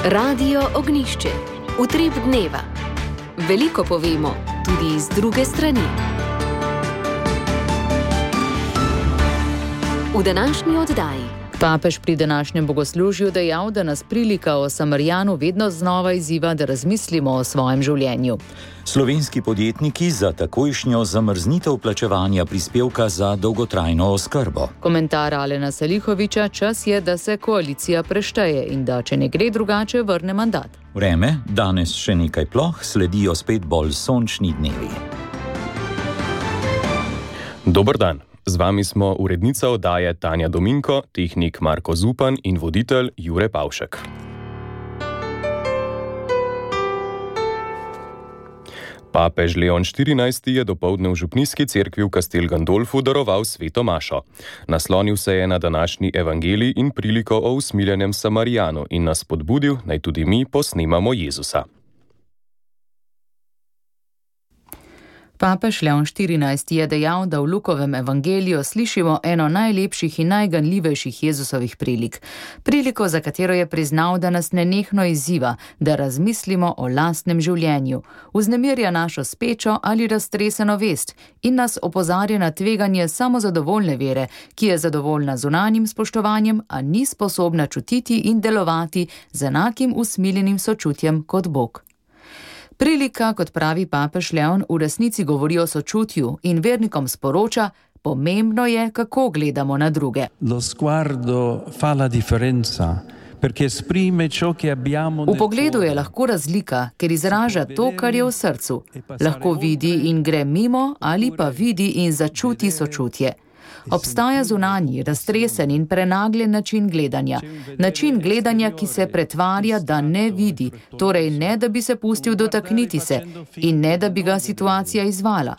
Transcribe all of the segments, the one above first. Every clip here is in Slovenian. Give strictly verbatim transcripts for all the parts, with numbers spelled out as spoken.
Radio Ognišče, utrip dneva. Veliko povemo, tudi iz druge strani. V današnji oddaji. Papež pri današnjem bogoslužju dejal, da nas prilika o Samarijanu vedno znova izziva, da razmislimo o svojem življenju. Slovenski podjetniki za takojšnjo zamrznitev plačevanja prispevka za dolgotrajno oskrbo. Komentar Alena Salihoviča: čas je, da se koalicija prešteje in da, če ne gre drugače, vrne mandat. Vreme, danes še nekaj ploh, sledijo spet bolj sončni dnevi. Dober dan. Z vami smo urednica oddaje Tanja Dominko, tehnik Marko Zupan in voditelj Jure Pavšek. Papež Leon štirinajsti je dopoldne v župnijski cerkvi v Castel Gandolfu daroval sveto mašo. Naslonil se je na današnji evangelij in priliko o usmiljenem Samarijanu in nas spodbudil, naj tudi mi posnemamo Jezusa. Papež Leon štirinajsti je dejal, da v Lukovem evangeliju slišimo eno najlepših in najganljivejših Jezusovih prilik. Priliko, za katero je priznal, da nas nenehno izziva, da razmislimo o lastnem življenju, vznemirja našo spečo ali raztreseno vest in nas opozarja na tveganje samozadovoljne vere, ki je zadovoljna zunanjim spoštovanjem, a ni sposobna čutiti in delovati z enakim usmiljenim sočutjem kot Bog. Prilika, kot pravi papež Leon, v resnici govori o sočutju in vernikom sporoča: pomembno je, kako gledamo na druge. Lo sguardo fa la differenza, perché esprime ciò che abbiamo. V pogledu je lahko razlika, ker izraža to, kar je v srcu. Lahko vidi in gre mimo, ali pa vidi in začuti sočutje. Obstaja zunanji, raztresen in prenagljen način gledanja. Način gledanja, ki se pretvarja, da ne vidi, torej ne, da bi se pustil dotakniti se in ne, da bi ga situacija izvala.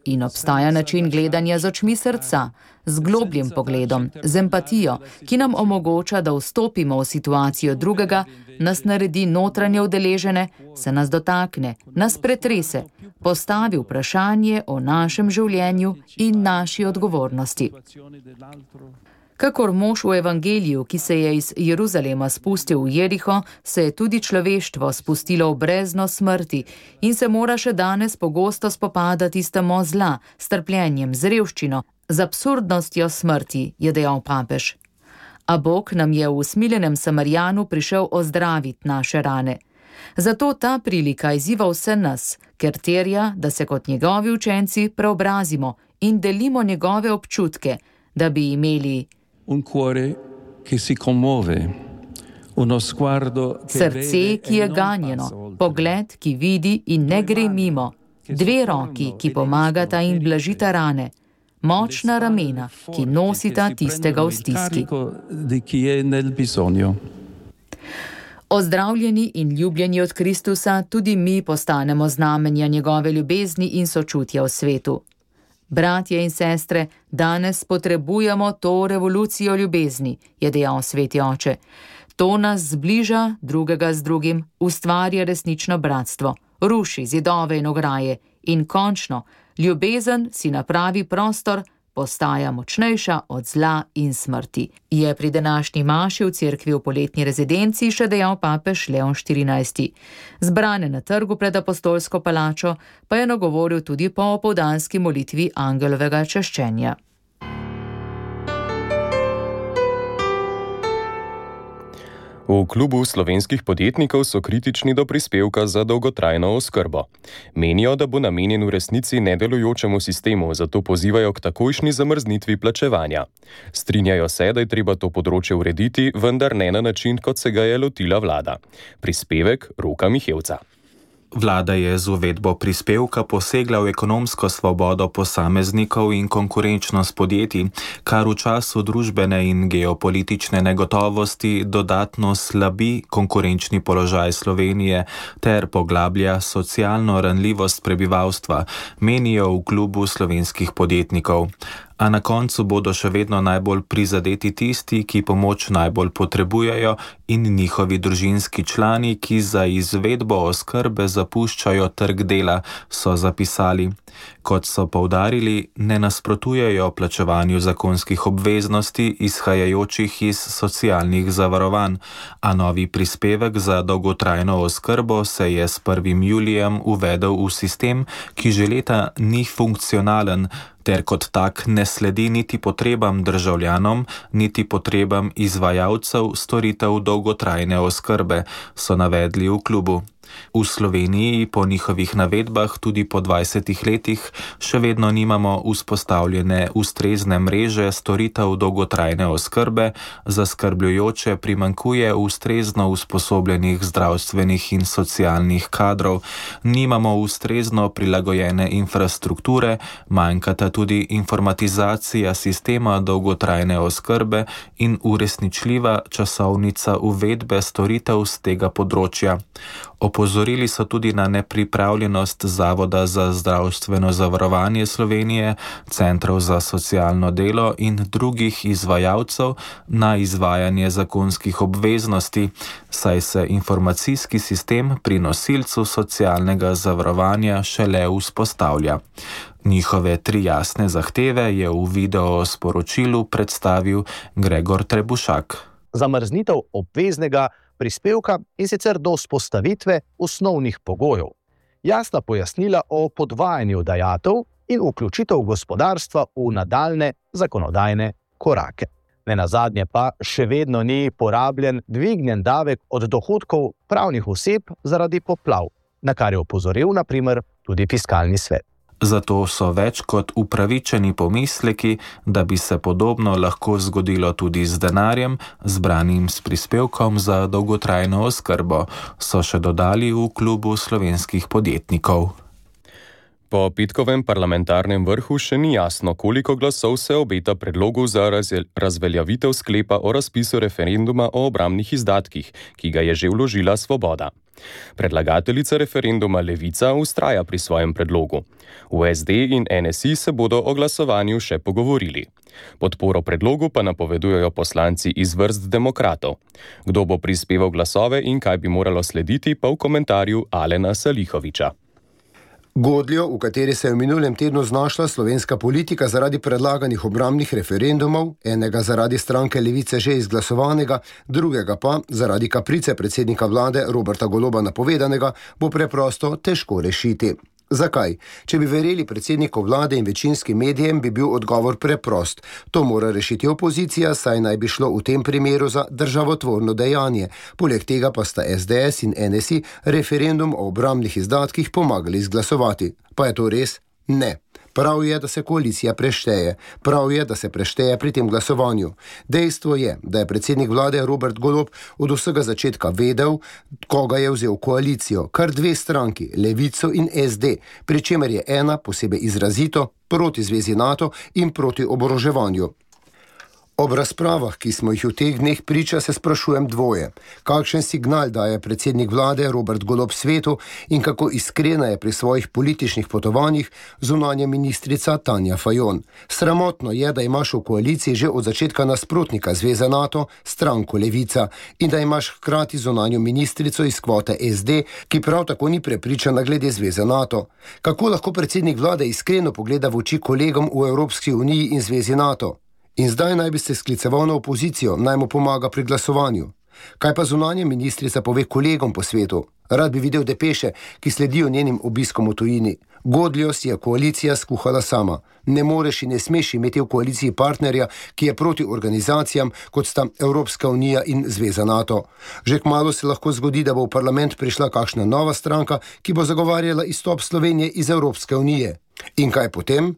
In obstaja način gledanja z očmi srca, z globljim pogledom, z empatijo, ki nam omogoča, da vstopimo v situacijo drugega, nas naredi notranje udeležene, se nas dotakne, nas pretrese, postavi vprašanje o našem življenju in naši odgovornosti. Kakor mož v evangeliju, ki se je iz Jeruzalema spustil v Jeriho, se je tudi človeštvo spustilo v brezno smrti in se mora še danes pogosto spopadati s temo zla, s trpljenjem, z revščino, z absurdnostjo smrti, je dejal papež. A Bog nam je v usmiljenem Samarijanu prišel ozdraviti naše rane. Zato ta prilika izziva vse nas, ker terja, da se kot njegovi učenci preobrazimo in delimo njegove občutke, da bi imeli un cuore che si commuove, uno sguardo che srce, ki je ganjeno, pogled, ki vidi in ne gre mimo, dve roki, ki pomagata in blažita rane, močna ramena, ki nosita tistega v stiski. Ozdravljeni in ljubljeni od Kristusa, tudi mi postanemo znamenja njegove ljubezni in sočutja v svetu. Bratje in sestre, danes potrebujemo to revolucijo ljubezni, je dejal sveti oče. To nas zbliža drugega z drugim, ustvarja resnično bratstvo, ruši zidove in ograje in končno, ljubezen si napravi prostor, postaja močnejša od zla in smrti. Je pri današnji maši v cerkvi v poletni rezidenci še dejal papež Leon štirinajsti. Zbrane na trgu pred apostolsko palačo pa je nagovoril tudi po opoldanski molitvi angelovega čaščenja. V klubu slovenskih podjetnikov so kritični do prispevka za dolgotrajno oskrbo. Menijo, da bo namenjen v resnici nedelujočemu sistemu, zato pozivajo k takojšnji zamrznitvi plačevanja. Strinjajo se, da je treba to področje urediti, vendar ne na način, kot se ga je lotila vlada. Prispevek Roka Mihevca. Vlada je z uvedbo prispevka posegla v ekonomsko svobodo posameznikov in konkurenčnost podjetij, kar v času družbene in geopolitične negotovosti dodatno slabi konkurenčni položaj Slovenije ter poglablja socialno ranljivost prebivalstva, menijo v klubu slovenskih podjetnikov. A na koncu bodo še vedno najbolj prizadeti tisti, ki pomoč najbolj potrebujejo, in njihovi družinski člani, ki za izvedbo oskrbe zapuščajo trg dela, so zapisali. Kot so poudarili, ne nasprotujejo plačevanju zakonskih obveznosti izhajajočih iz socialnih zavarovanj, a novi prispevek za dolgotrajno oskrbo se je s prvim julijem uvedel v sistem, ki že leta ni funkcionalen, ter kot tak ne sledi niti potrebam državljanom, niti potrebam izvajalcev storitev dolgotrajne oskrbe, so navedli v klubu. V Sloveniji po njihovih navedbah tudi po dvajsetih letih še vedno nimamo vzpostavljene ustrezne mreže storitev dolgotrajne oskrbe, zaskrbljujoče primanjkuje ustrezno usposobljenih zdravstvenih in socialnih kadrov, nimamo ustrezno prilagojene infrastrukture, manjkata tudi informatizacija sistema dolgotrajne oskrbe in uresničljiva časovnica uvedbe storitev z tega področja. Opozorili so tudi na nepripravljenost Zavoda za zdravstveno zavarovanje Slovenije, centrov za socialno delo in drugih izvajalcev na izvajanje zakonskih obveznosti, saj se informacijski sistem pri nosilcu socialnega zavarovanja šele vzpostavlja. Njihove tri jasne zahteve je v video sporočilu predstavil Gregor Trebušak. Zamrznitev obveznega prispevka in sicer do vzpostavitve osnovnih pogojev, jasna pojasnila o podvajanju dajatev in vključitev gospodarstva v nadaljne zakonodajne korake. Nenazadnje pa še vedno ni porabljen dvignjen davek od dohodkov pravnih oseb zaradi poplav, na kar je opozoril na primer tudi Fiskalni svet. Zato so več kot upravičeni pomisleki, da bi se podobno lahko zgodilo tudi z denarjem, zbranim s prispevkom za dolgotrajno oskrbo, so še dodali v klubu slovenskih podjetnikov. Po petkovem parlamentarnem vrhu še ni jasno, koliko glasov se obeta predlogu za razveljavitev sklepa o razpisu referenduma o obrambnih izdatkih, ki ga je že vložila Svoboda. Predlagateljica referenduma Levica vztraja pri svojem predlogu. V es de in en es i se bodo o glasovanju še pogovorili. Podporo predlogu pa napovedujejo poslanci iz vrst demokratov. Kdo bo prispeval glasove in kaj bi moralo slediti, pa v komentarju Alena Salihoviča. Godljo, v kateri se je v minulem tednu znašla slovenska politika zaradi predlaganih obrambnih referendumov, enega zaradi stranke Levice že izglasovanega, drugega pa zaradi kaprice predsednika vlade Roberta Goloba napovedanega, bo preprosto težko rešiti. Zakaj? Če bi verjeli predsedniku vlade in večinskim medijem, bi bil odgovor preprost. To mora rešiti opozicija, saj naj bi šlo v tem primeru za državotvorno dejanje. Poleg tega pa sta es de es in en es i referendum o obrambnih izdatkih pomagali izglasovati. Pa je to res? Ne. Prav je, da se koalicija prešteje. Prav je, da se prešteje pri tem glasovanju. Dejstvo je, da je predsednik vlade Robert Golob od vsega začetka vedel, koga je vzel koalicijo. Kar dve stranki, Levico in es de, pri čemer je ena posebej izrazito proti zvezi NATO in proti oboroževanju. Ob razpravah, ki smo jih v teh dneh priča, se sprašujem dvoje. Kakšen signal daje predsednik vlade Robert Golob svetu in kako iskrena je pri svojih političnih potovanjih zunanja ministrica Tanja Fajon. Sramotno je, da imaš v koaliciji že od začetka nasprotnika zveze NATO, stranko Levica, in da imaš hkrati zunanjo ministrico iz kvote es de, ki prav tako ni prepričana glede zveze NATO. Kako lahko predsednik vlade iskreno pogleda v oči kolegom v Evropski uniji in zvezi NATO? In zdaj naj bi se skliceval na opozicijo, naj mu pomaga pri glasovanju. Kaj pa zunanja ministrica pove kolegom po svetu? Rad bi videl depeše, ki sledijo njenim obiskom v tujini. Godljo si je koalicija skuhala sama. Ne moreš in ne smeš imeti v koaliciji partnerja, ki je proti organizacijam, kot sta Evropska unija in Zveza NATO. Že kmalu se lahko zgodi, da bo v parlament prišla kakšna nova stranka, ki bo zagovarjala izstop Slovenije iz Evropske unije. In kaj potem?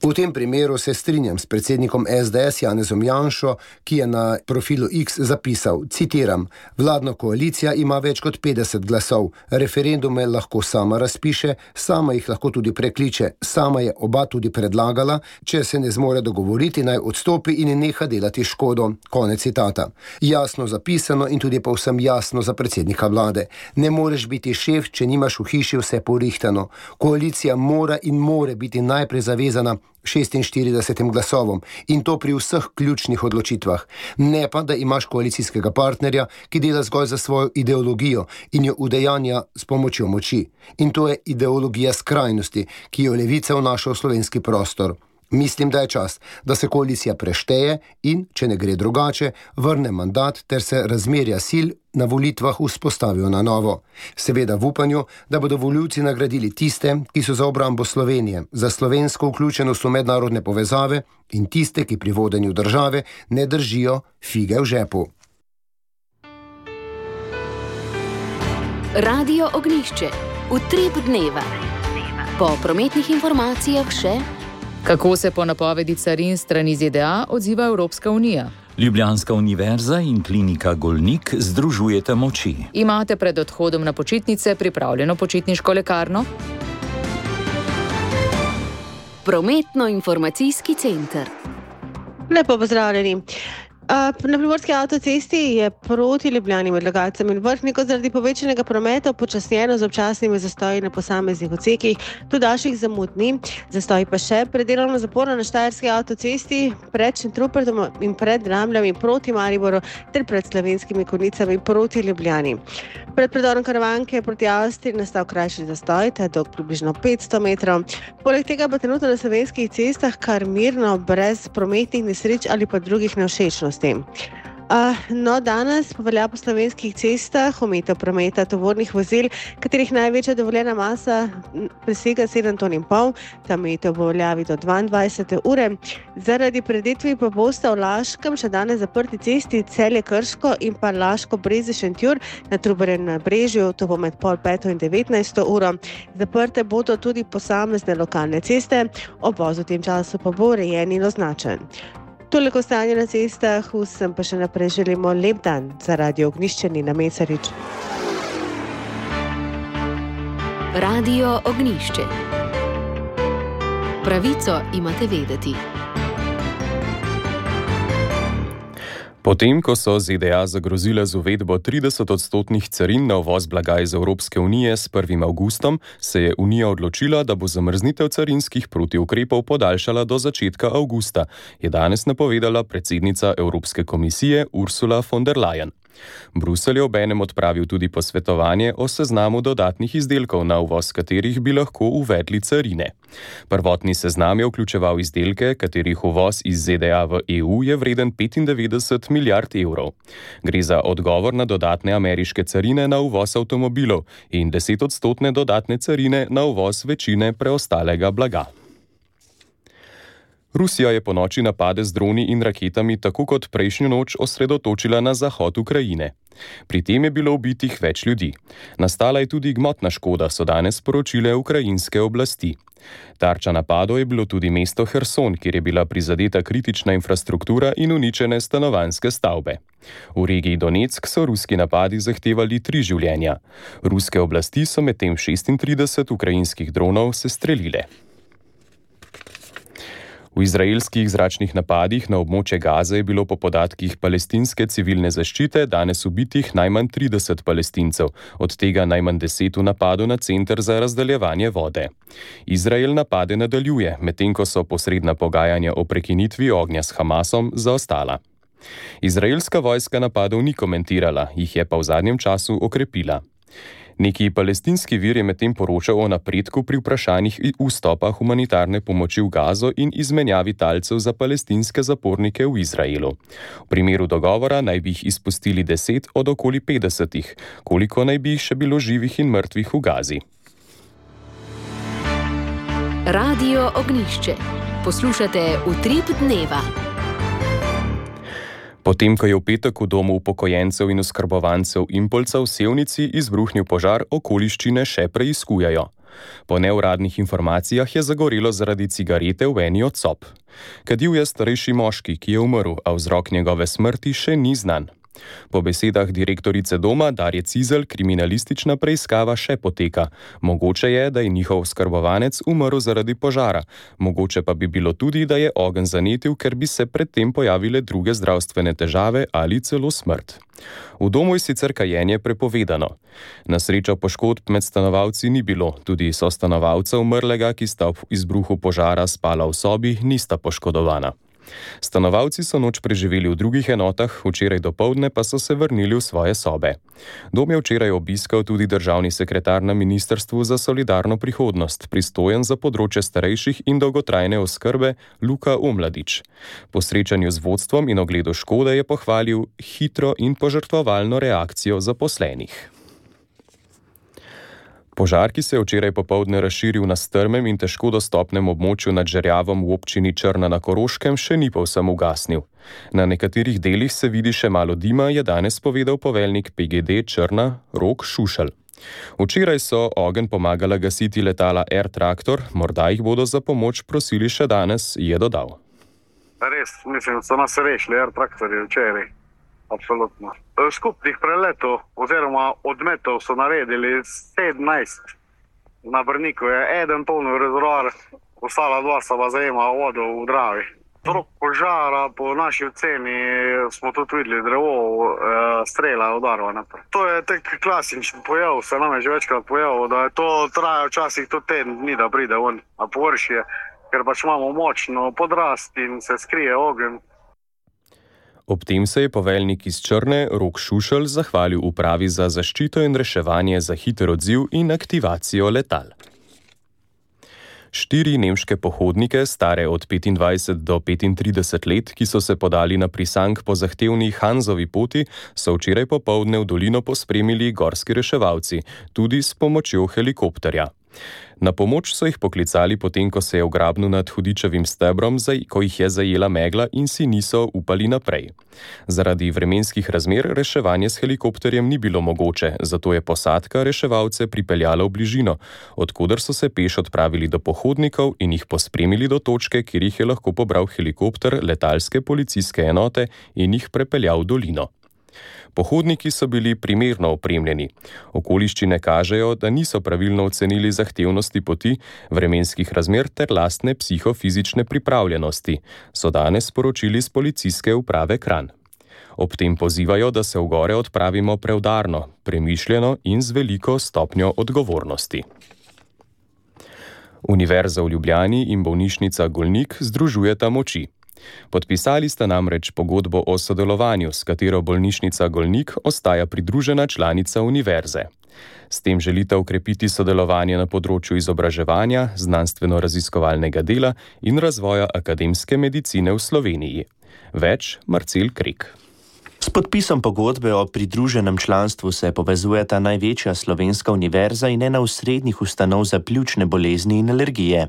V tem primeru se strinjam s predsednikom es de es Janezom Janšo, ki je na profilu X zapisal, citiram, vladna koalicija ima več kot petdeset glasov, referendume lahko sama razpiše, sama jih lahko tudi prekliče, sama je oba tudi predlagala, če se ne zmore dogovoriti, naj odstopi in neha delati škodo. Konec citata. Jasno zapisano in tudi povsem jasno za predsednika vlade. Ne moreš biti šef, če nimaš v hiši vse porihtano. Koalicija mora in more biti najprej zavezana šestinštiridesetim glasovom in to pri vseh ključnih odločitvah. Ne pa, da imaš koalicijskega partnerja, ki dela zgolj za svojo ideologijo in jo udejanja s pomočjo moči. In to je ideologija skrajnosti, ki jo Levica vnaša v slovenski prostor. Mislim, da je čas, da se koalicija prešteje in, če ne gre drugače, vrne mandat ter se razmerja sil na volitvah vzpostavijo na novo. Seveda v upanju, da bodo volivci nagradili tiste, ki so za obrambo Slovenije, za slovensko vključenost v mednarodne povezave in tiste, ki pri vodenju države ne držijo fige v žepu. Radio Ognjišče. Utrip dneva. Po prometnih informacijah še... Kako se po napovedi carin strani Z D A odziva Evropska unija? Ljubljanska univerza in klinika Golnik združujete moči. Imate pred odhodom na počitnice pripravljeno počitniško lekarno? Prometno-informacijski center. Lepo pozdravljeni. Na primorski avtocesti je proti Ljubljani med Logatcem in Vrhniko zaradi povečanega prometa počasnjeno z občasnimi zastoji na posameznih odsekih, tudi daljših zamud ni. Zastoji pa še pred delovno zaporo na Štajerski avtocesti, pred Šentrupertom in pred Dramljami proti Mariboru ter pred Slovenskimi Konjicami proti Ljubljani. Pred predorom Karavanke proti Avstriji nastal krajši zastoj, ta je dolg približno petsto metrov. Poleg tega pa trenutno na slovenskih cestah kar mirno, brez prometnih nesreč ali pa drugih nevšečnosti. Uh, no, danes pa velja po slovenskih cestah omejitev prometa tovornih vozil, katerih največja dovoljena masa presega sedem ton in pol, ta omejitev bo veljavi do dvaindvajsete ure. Zaradi predetvi pa bosta v Laškem še danes zaprti cesti Celje Krško in pa Laško Breze Šentjur na Trubarjem Nabrežju, to bo med pol peto in devetnajsto uro. Zaprte bodo tudi posamezne lokalne ceste, obvoz v tem času pa bo urejen in označen. Toliko stanje na cestah, vsem pa še naprej želimo lep dan za Radio Ognjišče Nina Mesarič. Radio Ognjišče. Pravico imate vedeti. Potem, ko so Z D A zagrozile z uvedbo trideset odstotnih carin na uvoz blaga iz Evropske unije s prvim avgustom, se je Unija odločila, da bo zamrznitev carinskih protiukrepov podaljšala do začetka avgusta, je danes napovedala predsednica Evropske komisije Ursula von der Leyen. Bruselj je obenem odpravil tudi posvetovanje o seznamu dodatnih izdelkov, na uvoz katerih bi lahko uvedli carine. Prvotni seznam je vključeval izdelke, katerih uvoz iz Z D A v E U je vreden petindevetdeset milijard evrov. Gre za odgovor na dodatne ameriške carine na uvoz avtomobilov in desetodstotne dodatne carine na uvoz večine preostalega blaga. Rusija je ponoči napade z droni in raketami tako kot prejšnjo noč osredotočila na zahod Ukrajine. Pri tem je bilo ubitih več ljudi. Nastala je tudi gmotna škoda, so danes sporočile ukrajinske oblasti. Tarča napadov je bilo tudi mesto Herson, kjer je bila prizadeta kritična infrastruktura in uničene stanovanjske stavbe. V regiji Donetsk so ruski napadi zahtevali tri življenja. Ruske oblasti so medtem šestintrideset ukrajinskih dronov sestrelile. V izraelskih zračnih napadih na območje Gaze je bilo po podatkih palestinske civilne zaščite danes ubitih najmanj trideset Palestincev, od tega najmanj deset v napadu na center za razdeljevanje vode. Izrael napade nadaljuje, medtem ko so posredna pogajanja o prekinitvi ognja s Hamasom zaostala. Izraelska vojska napadov ni komentirala, jih je pa v zadnjem času okrepila. Neki palestinski vir je medtem poročal o napredku pri vprašanjih vstopa humanitarne pomoči v Gazo in izmenjavi talcev za palestinske zapornike v Izraelu. V primeru dogovora naj bi jih izpustili deset od okoli petdesetih, koliko naj bi jih še bilo živih in mrtvih v Gazi. Radio Ognjišče. Poslušate Utrip dneva. Potem, ko je v petek v domu upokojencev in oskrbovancev Impolca v Sevnici izbruhnil požar, okoliščine še preiskujejo. Po neuradnih informacijah je zagorelo zaradi cigarete v eni od sob. Kadil je starejši moški, ki je umrl, a vzrok njegove smrti še ni znan. Po besedah direktorice doma Darje Cizelj kriminalistična preiskava še poteka. Mogoče je, da je njihov oskrbovanec umrl zaradi požara. Mogoče pa bi bilo tudi, da je ogenj zanetil, ker bi se predtem pojavile druge zdravstvene težave ali celo smrt. V domu je sicer kajenje prepovedano. Na srečo poškodb med stanovalci ni bilo, tudi sostanovalca umrlega, ki sta ob izbruhu požara spala v sobi, nista poškodovana. Stanovalci so noč preživeli v drugih enotah, včeraj dopoldne pa so se vrnili v svoje sobe. Dom je včeraj obiskal tudi državni sekretar na Ministrstvu za solidarno prihodnost, pristojen za področje starejših in dolgotrajne oskrbe, Luka Omladič. Po srečanju z vodstvom in ogledu škode je pohvalil hitro in požrtvovalno reakcijo zaposlenih. Požar, ki se je včeraj popoldne razširil na strmem in težko dostopnem območju nad Žerjavom v občini Črna na Koroškem, še ni povsem ugasnil. Na nekaterih delih se vidi še malo dima, je danes povedal poveljnik P G D Črna Rok Šušelj. Včeraj so ogenj pomagala gasiti letala Air Traktor, morda jih bodo za pomoč prosili še danes, je dodal. Res, mislim, so nas rešili Air Traktorji včeraj. Absolutno. Skupnih preletov oziroma odmetov so naredili sedemnajst. Na Brniku je eden polni rezervoar, ostala dva sta pa zajema vodo v Dravi. Vzrok požara po naši oceni smo tudi videli drevo, strela udarva naprej. To je tak klasičen pojav, se nam je že večkrat pojavil, da je to traja včasih tudi teden dni, da pride ven na površje, ker pač imamo močno podrast in se skrije ogenj. Ob tem se je poveljnik iz Črne Rok Šušelj zahvalil upravi za zaščito in reševanje za hiter odziv in aktivacijo letal. Štiri nemške pohodnike, stare od petindvajset do petintrideset let, ki so se podali na Prisank po zahtevni Hanzovi poti, so včeraj popoldne v dolino pospremili gorski reševalci, tudi s pomočjo helikopterja. Na pomoč so jih poklicali potem, ko se je v grabnu nad Hudičevim stebrom, ko jih je zajela megla in si niso upali naprej. Zaradi vremenskih razmer reševanje s helikopterjem ni bilo mogoče, zato je posadka reševalce pripeljala v bližino, odkoder so se peš odpravili do pohodnikov in jih pospremili do točke, kjer jih je lahko pobral helikopter letalske policijske enote in jih prepeljal v dolino. Pohodniki so bili primerno opremljeni. Okoliščine kažejo, da niso pravilno ocenili zahtevnosti poti, vremenskih razmer ter lastne psihofizične pripravljenosti, so danes sporočili z policijske uprave Kranj. Ob tem pozivajo, da se v gore odpravimo preudarno, premišljeno in z veliko stopnjo odgovornosti. Univerza v Ljubljani in bolnišnica Golnik združujeta moči. Podpisali sta namreč pogodbo o sodelovanju, s katero bolnišnica Golnik ostaja pridružena članica univerze. S tem želita ukrepiti sodelovanje na področju izobraževanja, znanstveno-raziskovalnega dela in razvoja akademske medicine v Sloveniji. Več Marcel Krek. S podpisom pogodbe o pridruženem članstvu se povezujeta največja slovenska univerza in ena osrednjih ustanov za pljučne bolezni in alergije.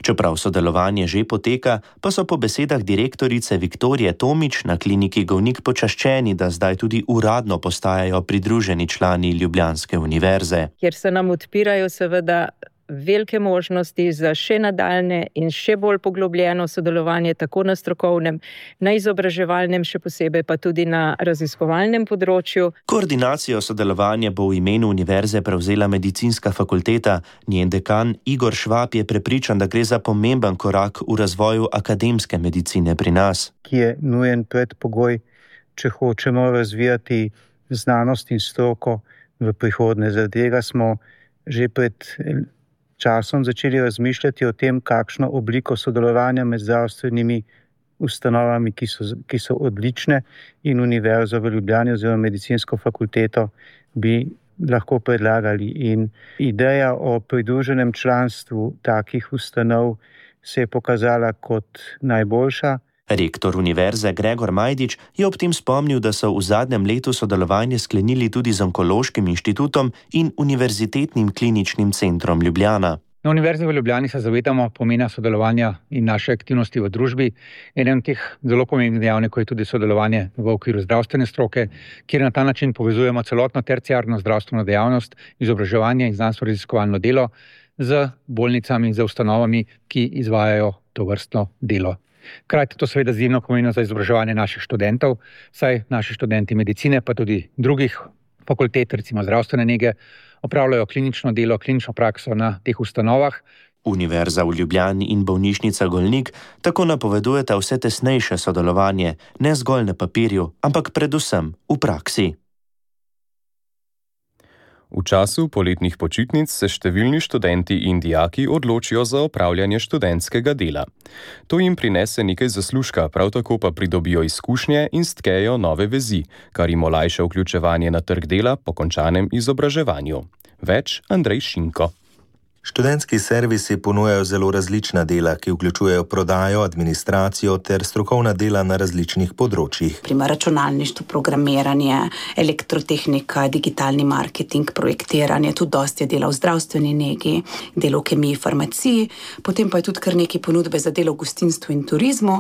Čeprav sodelovanje že poteka, pa so po besedah direktorice Viktorije Tomič na kliniki Golnik počaščeni, da zdaj tudi uradno postajajo pridruženi člani Ljubljanske univerze. Kjer se nam odpirajo seveda velike možnosti za še nadaljne in še bolj poglobljeno sodelovanje tako na strokovnem, na izobraževalnem, še posebej pa tudi na raziskovalnem področju. Koordinacijo sodelovanja bo v imenu univerze prevzela medicinska fakulteta. Njen dekan Igor Švab je prepričan, da gre za pomemben korak v razvoju akademske medicine pri nas. Ki je nujen predpogoj, če hočemo razvijati znanost in stroko v prihodnje. Zaradi tega smo že pred časom začeli razmišljati o tem, kakšno obliko sodelovanja med zdravstvenimi ustanovami, ki so, ki so odlične, in univerzo v Ljubljani oziroma medicinsko fakulteto bi lahko predlagali. In ideja o pridruženem članstvu takih ustanov se je pokazala kot najboljša. Rektor univerze Gregor Majdič je ob tem spomnil, da so v zadnjem letu sodelovanje sklenili tudi z Onkološkim inštitutom in Univerzitetnim kliničnim centrom Ljubljana. Na Univerzi v Ljubljani se zavedamo pomena sodelovanja in naše aktivnosti v družbi. Eden od teh zelo pomembnih dejavnikov je tudi sodelovanje v okviru zdravstvene stroke, kjer na ta način povezujemo celotno terciarno zdravstveno dejavnost, izobraževanje in znanstveno-raziskovalno delo z bolnicami in z ustanovami, ki izvajajo tovrstno delo. Hkrati to seveda izjemno pomeni za izobraževanje naših študentov, saj naši študenti medicine, pa tudi drugih fakultet, recimo zdravstvene nege, opravljajo klinično delo, klinično prakso na teh ustanovah. Univerza v Ljubljani in bolnišnica Golnik tako napovedujeta vse tesnejše sodelovanje, ne zgolj na papirju, ampak predvsem v praksi. V času poletnih počitnic se številni študenti in dijaki odločijo za opravljanje študentskega dela. To jim prinese nekaj zaslužka, prav tako pa pridobijo izkušnje in stkejo nove vezi, kar jim olajša vključevanje na trg dela po končanem izobraževanju. Več Andrej Šinko. Študentski servisi ponujajo zelo različna dela, ki vključujejo prodajo, administracijo ter strokovna dela na različnih področjih. Primer računalništvo, programiranje, elektrotehnika, digitalni marketing, projektiranje, tudi dosti je dela v zdravstveni negi, delo v kemiji, farmaciji, potem pa je tudi kar nekaj ponudbe za delo v gostinstvu in turizmu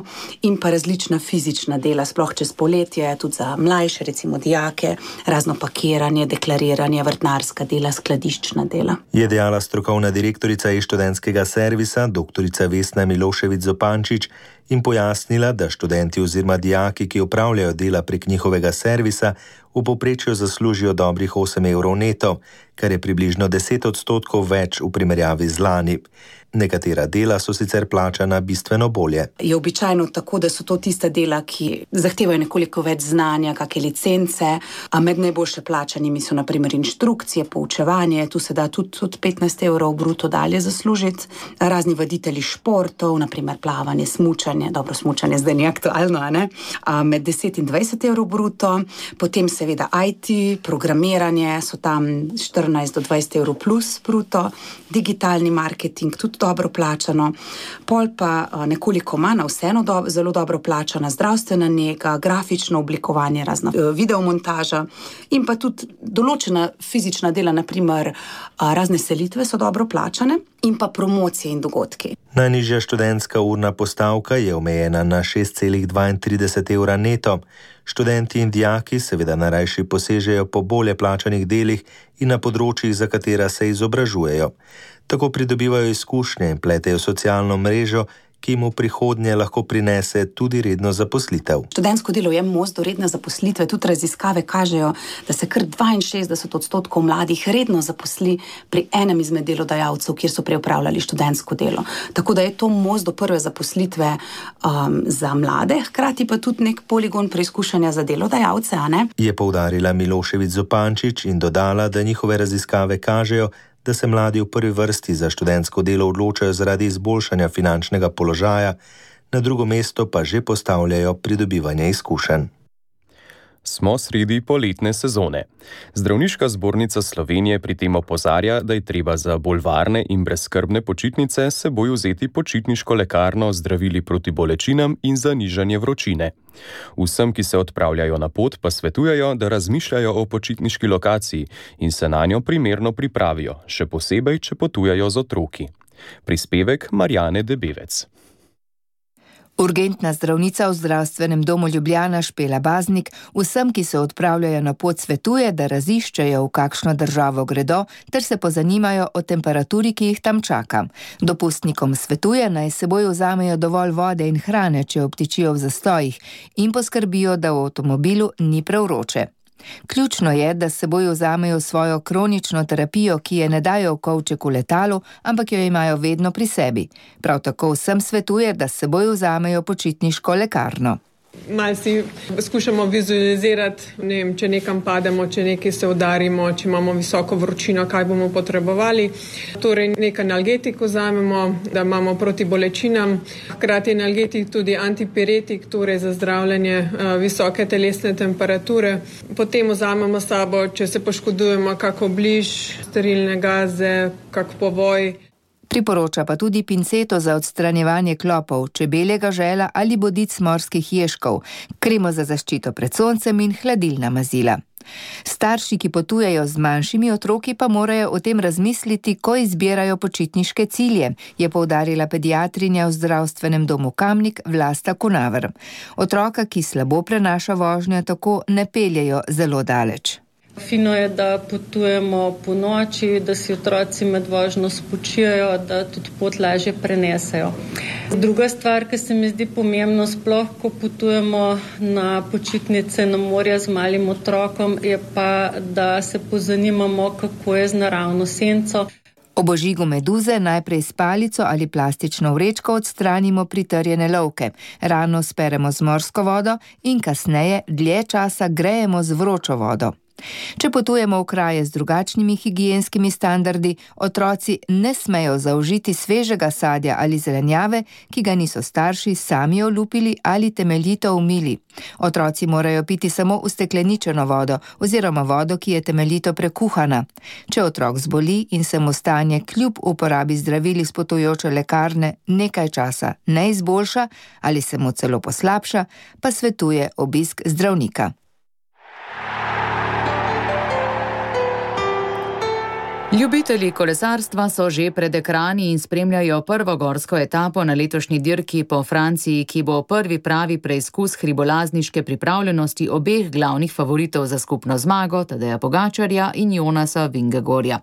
in pa različna fizična dela, sploh čez poletje, tudi za mlajše, recimo dijake, razno pakiranje, deklariranje, vrtnarska dela, skladiščna dela. Je dejala strokovna direktorica iz študentskega servisa, doktorica Vesna Milošević-Zopančič, in pojasnila, da študenti oziroma dijaki, ki opravljajo dela prek njihovega servisa, v povprečju zaslužijo dobrih osem evrov neto, kar je približno deset odstotkov več v primerjavi z lani. Nekatera dela so sicer plačana bistveno bolje. Je običajno tako, da so to tista dela, ki zahtevajo nekoliko več znanja, kakšne licence, a med najboljše plačanimi so na primer inštrukcije, poučevanje, tu se da tudi, tudi petnajst evrov bruto dalje zaslužiti, razni vaditelji športov, na primer plavanje, smučanje, dobro smučanje zdaj ni aktualno, a ne? A med deset in dvajset evrov bruto, potem seveda I T, programiranje, so tam štirinajst do dvajset evrov plus bruto, digitalni marketing, tudi dobro plačano, pol pa nekoliko manj, vseeno do, zelo dobro plačana zdravstvena nega, grafično oblikovanje, razna videomontaža in pa tudi določena fizična dela, na primer razne selitve so dobro plačane in pa promocije in dogodki. Najnižja študentska urna postavka je omejena na šest celih dvaintrideset evra neto. Študenti in dijaki seveda najrajši posežejo po bolje plačanih delih in na področjih, za katera se izobražujejo. Tako pridobivajo izkušnje in pletejo socialno mrežo, ki jim v prihodnje lahko prinese tudi redno zaposlitev. Študentsko delo je most do redne zaposlitve, tudi raziskave kažejo, da se kar dvainšestdeset odstotkov mladih redno zaposli pri enem izmed delodajalcev, kjer so prej opravljali študentsko delo. Tako da je to most do prve zaposlitve um, za mlade, hkrati pa tudi nek poligon preizkušanja za delodajalce, a ne? Je poudarila Milošević-Zopančič in dodala, da njihove raziskave kažejo, da se mladi v prvi vrsti za študentsko delo odločajo zaradi izboljšanja finančnega položaja, na drugo mesto pa že postavljajo pridobivanje izkušenj. Smo sredi poletne sezone. Zdravniška zbornica Slovenije pri tem opozarja, da je treba za bolj varne in brezskrbne počitnice s seboj vzeti počitniško lekarno z zdravili proti bolečinam in za nižanje vročine. Vsem, ki se odpravljajo na pot, pa svetujejo, da razmišljajo o počitniški lokaciji in se na njo primerno pripravijo, še posebej, če potujejo z otroki. Prispevek Marjane Debevec. Urgentna zdravnica v zdravstvenem domu Ljubljana Špela Baznik vsem, ki se odpravljajo na pot, svetuje, da raziščejo, v kakšno državo gredo, ter se pozanimajo o temperaturi, ki jih tam čaka. Dopustnikom svetuje, naj s seboj vzamejo dovolj vode in hrane, če obtičijo v zastojih, in poskrbijo, da v avtomobilu ni prevroče. Ključno je, da s seboj vzamejo svojo kronično terapijo, ki je ne dajo v kovček v letalu, ampak jo imajo vedno pri sebi. Prav tako vsem svetuje, da s seboj vzamejo počitniško lekarno. Malo si skušamo vizualizirati, ne vem, če nekam pademo, če nekaj se udarimo, če imamo visoko vročino, kaj bomo potrebovali. Torej nekaj analgetik vzamemo, da imamo proti bolečinam. Hkrati je analgetik tudi antipiretik, torej za zdravljenje uh, visoke telesne temperature. Potem vzamemo sabo, če se poškodujemo, kako bliž, sterilne gaze, kak povoj. Priporoča pa tudi pinceto za odstranjevanje klopov, čebeljega žela ali bodic morskih ježkov, kremo za zaščito pred soncem in hladilna mazila. Starši, ki potujejo z manjšimi otroki, pa morajo o tem razmisliti, ko izbirajo počitniške cilje, je poudarila pediatrinja v zdravstvenem domu Kamnik Vlasta Kunaver. Otroka, ki slabo prenaša vožnjo, tako ne peljejo zelo daleč. Fino je, da potujemo po noči, da si otroci med vožnjo spočijajo, da tudi pot lažje prenesejo. Druga stvar, ki se mi zdi pomembno, sploh ko potujemo na počitnice na morja z malim otrokom, je pa, da se pozanimamo, kako je z naravno senco. Ob ožigu meduze najprej s palico ali plastično vrečko odstranimo pritrjene lovke, rano speremo z morsko vodo in kasneje dlje časa grejemo z vročo vodo. Če potujemo v kraje z drugačnimi higienskimi standardi, otroci ne smejo zaužiti svežega sadja ali zelenjave, ki ga niso starši sami olupili ali temeljito umili. Otroci morajo piti samo ustekleničeno vodo oziroma vodo, ki je temeljito prekuhana. Če otrok zboli in se mu stanje kljub uporabi zdravil iz potujoče lekarne nekaj časa ne izboljša ali se mu celo poslabša, pa svetuje obisk zdravnika. Ljubitelji kolesarstva so že pred ekrani in spremljajo prvo gorsko etapo na letošnji dirki po Franciji, ki bo prvi pravi preizkus hribolazniške pripravljenosti obeh glavnih favoritov za skupno zmago, Tadeja Pogačarja in Jonasa Vingegaarda.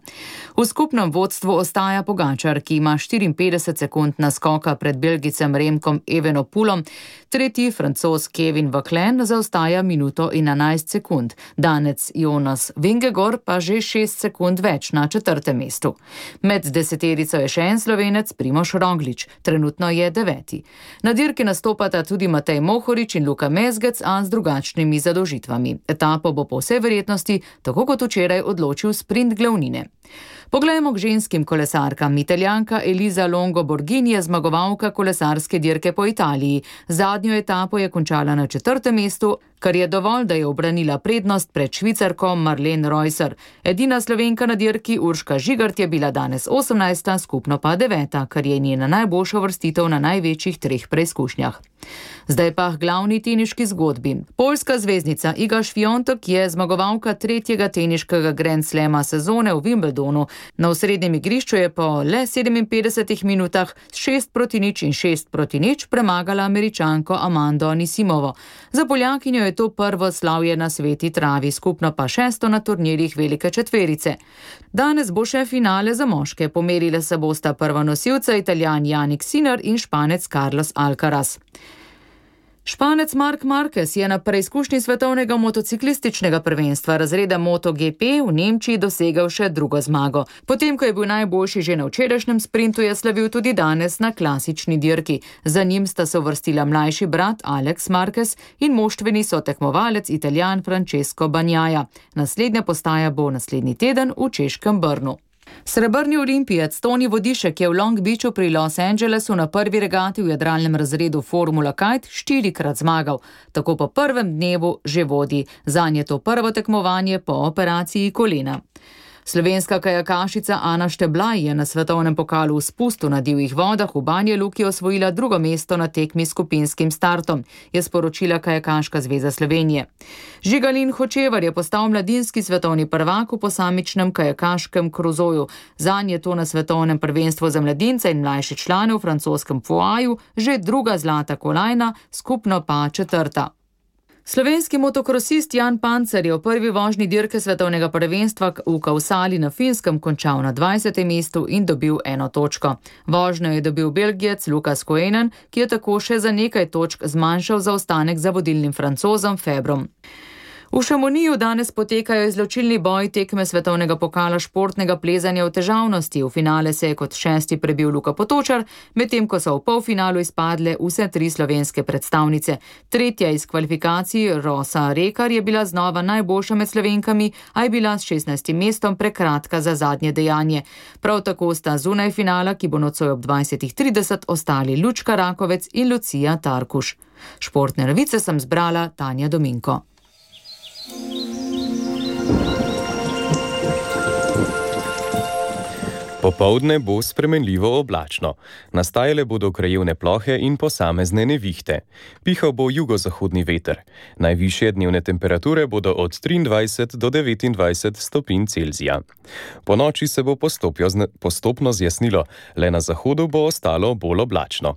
V skupnem vodstvu ostaja Pogačar, ki ima štiriinpetdeset sekund naskoka pred Belgicem Remkom Evenepoelom, tretji Francoz Kevin Vauquelin zaostaja minuto in enajst sekund, Danec Jonas Vingegaard pa že šest sekund več na četrtem mestu. Med deseterico je še en Slovenec, Primož Roglič, trenutno je deveti. Na dirki nastopata tudi Matej Mohorič in Luka Mezgec, a z drugačnimi zadolžitvami. Etapo bo po vsej verjetnosti, tako kot včeraj, odločil sprint glavnine. Poglejmo k ženskim kolesarkam. Italijanka Elisa Longo Borghini je zmagovalka kolesarske dirke po Italiji. Zadnjo etapo je končala na četrtem mestu, kar je dovolj, da je obranila prednost pred Švicarko Marlene Reusser. Edina Slovenka na dirki Urška Žigart je bila danes osemnajsta, skupno pa deveta, kar je njena najboljša uvrstitev na največjih treh preizkušnjah. Zdaj pa glavni teniški zgodbi. Poljska zvezdnica Iga Świątek je zmagovalka tretjega teniškega Grand Slama sezone v Wimbledonu. Na osrednjem igrišču je po le sedeminpetdesetih minutah s šest proti nič in šest proti nič premagala Američanko Amando Anisimovo. Za Poljakinjo je to prvo slavje na sveti travi, skupno pa šesto na turnirjih velike četverice. Danes bo še finale za moške. Pomerile se bosta prva nosilca Italijan Jannik Sinner in Španec Carlos Alcaraz. Španec Marc Marquez je na preizkušnji svetovnega motociklističnega prvenstva razreda MotoGP v Nemčiji dosegel še drugo zmago. Potem, ko je bil najboljši že na včerajšnjem sprintu, je slavil tudi danes na klasični dirki. Za njim sta se uvrstila mlajši brat Alex Marquez in moštveni sotekmovalec Italijan Francesco Bagnaia. Naslednja postaja bo naslednji teden v češkem Brnu. Srebrni olimpijec Toni Vodišek je v Long Beachu pri Los Angelesu na prvi regati v jadralnem razredu Formula Kite štirikrat zmagal. Tako po prvem dnevu že vodi. Zanj je to prvo tekmovanje po operaciji kolena. Slovenska kajakašica Ana Šteblaj je na svetovnem pokalu v spustu na divjih vodah v Banja Luki osvojila drugo mesto na tekmi s skupinskim startom, je sporočila Kajakaška zveza Slovenije. Žigalin Hočevar je postal mladinski svetovni prvak v posamičnem kajakaškem kruzoju. Zanj je to na svetovnem prvenstvu za mladince in mlajše člane v francoskem Foaju že druga zlata kolajna, skupno pa četrta. Slovenski motokrosist Jan Pancer je v prvi vožnji dirke svetovnega prvenstva v Kausali na Finskem končal na dvajsetem mestu in dobil eno točko. Vožnjo je dobil Belgijec Lukas Koenen, ki je tako še za nekaj točk zmanjšal zaostanek za vodilnim Francozom Febrom. V Šamoniju danes potekajo izločilni boj tekme svetovnega pokala športnega plezanja v težavnosti. V finale se je kot šesti prebil Luka Potočar, medtem ko so v polfinalu izpadle vse tri slovenske predstavnice. Tretja iz kvalifikacij Rosa Rekar je bila znova najboljša med Slovenkami, a je bila s šestnajstim mestom prekratka za zadnje dejanje. Prav tako sta zunaj finala, ki bo nocoj ob dvajsetih trideset, ostali Lučka Rakovec in Lucija Tarkuš. Športne novice sem zbrala Tanja Dominko. Popoldne bo spremenljivo oblačno. Nastajale bodo krajevne plohe in posamezne nevihte. Pihal bo jugozahodni veter. Najvišje dnevne temperature bodo od triindvajset do devetindvajset stopinj Celzija. Po noči se bo postopno zjasnilo, le na zahodu bo ostalo bolj oblačno.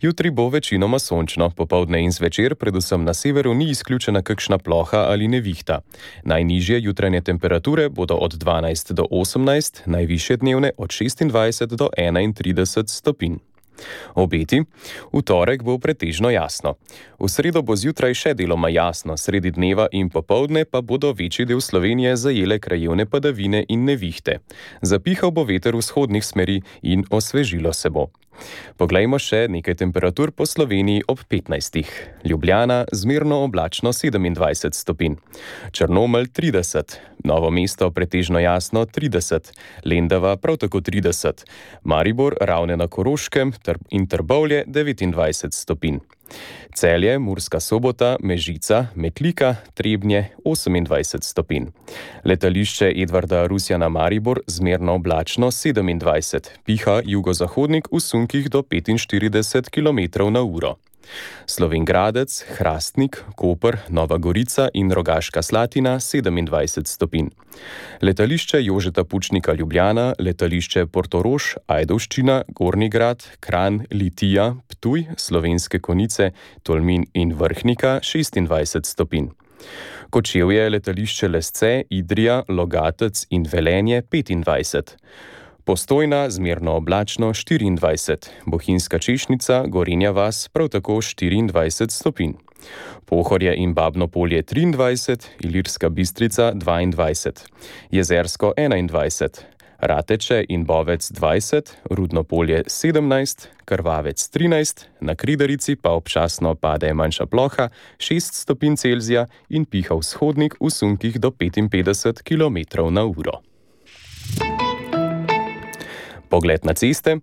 Jutri bo večinoma sončno, popoldne in zvečer, predvsem na severu, ni izključena kakšna ploha ali nevihta. Najnižje jutranje temperature bodo od dvanajst do osemnajst, najvišje dnevne od šestindvajset do enaintrideset stopinj. Obeti. V torek bo pretežno jasno. V sredo bo zjutraj še deloma jasno, sredi dneva in popoldne pa bodo večji del Slovenije zajele krajevne padavine in nevihte. Zapihal bo veter vzhodnih smeri in osvežilo se bo. Poglejmo še nekaj temperatur po Sloveniji ob petnajstih. Ljubljana zmerno oblačno sedemindvajset stopinj. Črnomelj trideset, Novo mesto pretežno jasno trideset, Lendava prav tako trideset, Maribor, Ravne na Koroškem in Trbovlje devetindvajset stopinj. Celje, Murska Sobota, Mežica, Metlika, Trebnje osemindvajset stopinj. Letališče Edvarda Rusjana Maribor zmerno oblačno sedemindvajset, piha jugozahodnik v sunkih do petinštirideset kilometrov na uro. Slovenj Gradec, Hrastnik, Koper, Nova Gorica in Rogaška Slatina sedemindvajset stopinj. Letališče Jožeta Pučnika Ljubljana, letališče Portorož, Ajdovščina, Gornji Grad, Kranj, Litija, Ptuj, Slovenske Konjice, Tolmin in Vrhnika šestindvajset stopinj. Kočevje, letališče Lesce, Idrija, Logatec in Velenje petindvajset. Postojna zmerno oblačno štiriindvajset, Bohinjska Češnica, Gorenja vas prav tako štiriindvajset stopinj. Pohorje in Babno Polje triindvajset, Ilirska Bistrica dvaindvajset, Jezersko enaindvajset, Rateče in Bovec dvajset, Rudno Polje sedemnajst, Krvavec trinajst, na Kridarici pa občasno pade manjša ploha šest stopinj Celzija in piha vzhodnik v sunkih do petinpetdeset kilometrov na uro. Pogled na ceste.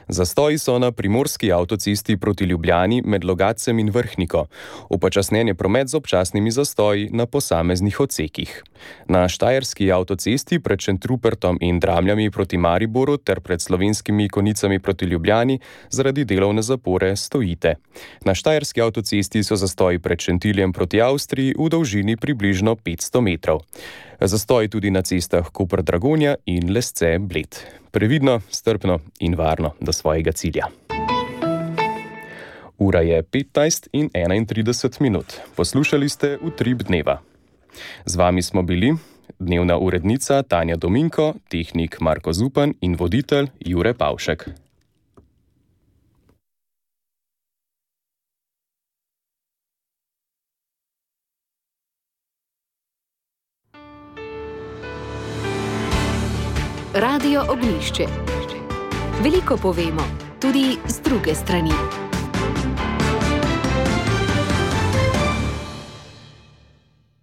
Zastoji so na primorski avtocesti proti Ljubljani med Logatcem in Vrhniko. Upočasnjen je promet z občasnimi zastoji na posameznih odsekih. Na štajerski avtocesti pred Šentrupertom in Dramljami proti Mariboru ter pred Slovenskimi Konicami proti Ljubljani zaradi delovne zapore stojite. Na štajerski avtocesti so zastoji pred Šentiljem proti Avstriji v dolžini približno petsto metrov. Zastoji tudi na cestah Koper-Dragonja in Lesce-Bled. Previdno, strpno in varno do svojega cilja. Ura je petnajst in enaintrideset minut. Poslušali ste Utrip dneva. Z vami smo bili dnevna urednica Tanja Dominko, tehnik Marko Zupan in voditelj Jure Pavšek. Radio Ognjišče. Veliko povemo, tudi z druge strani.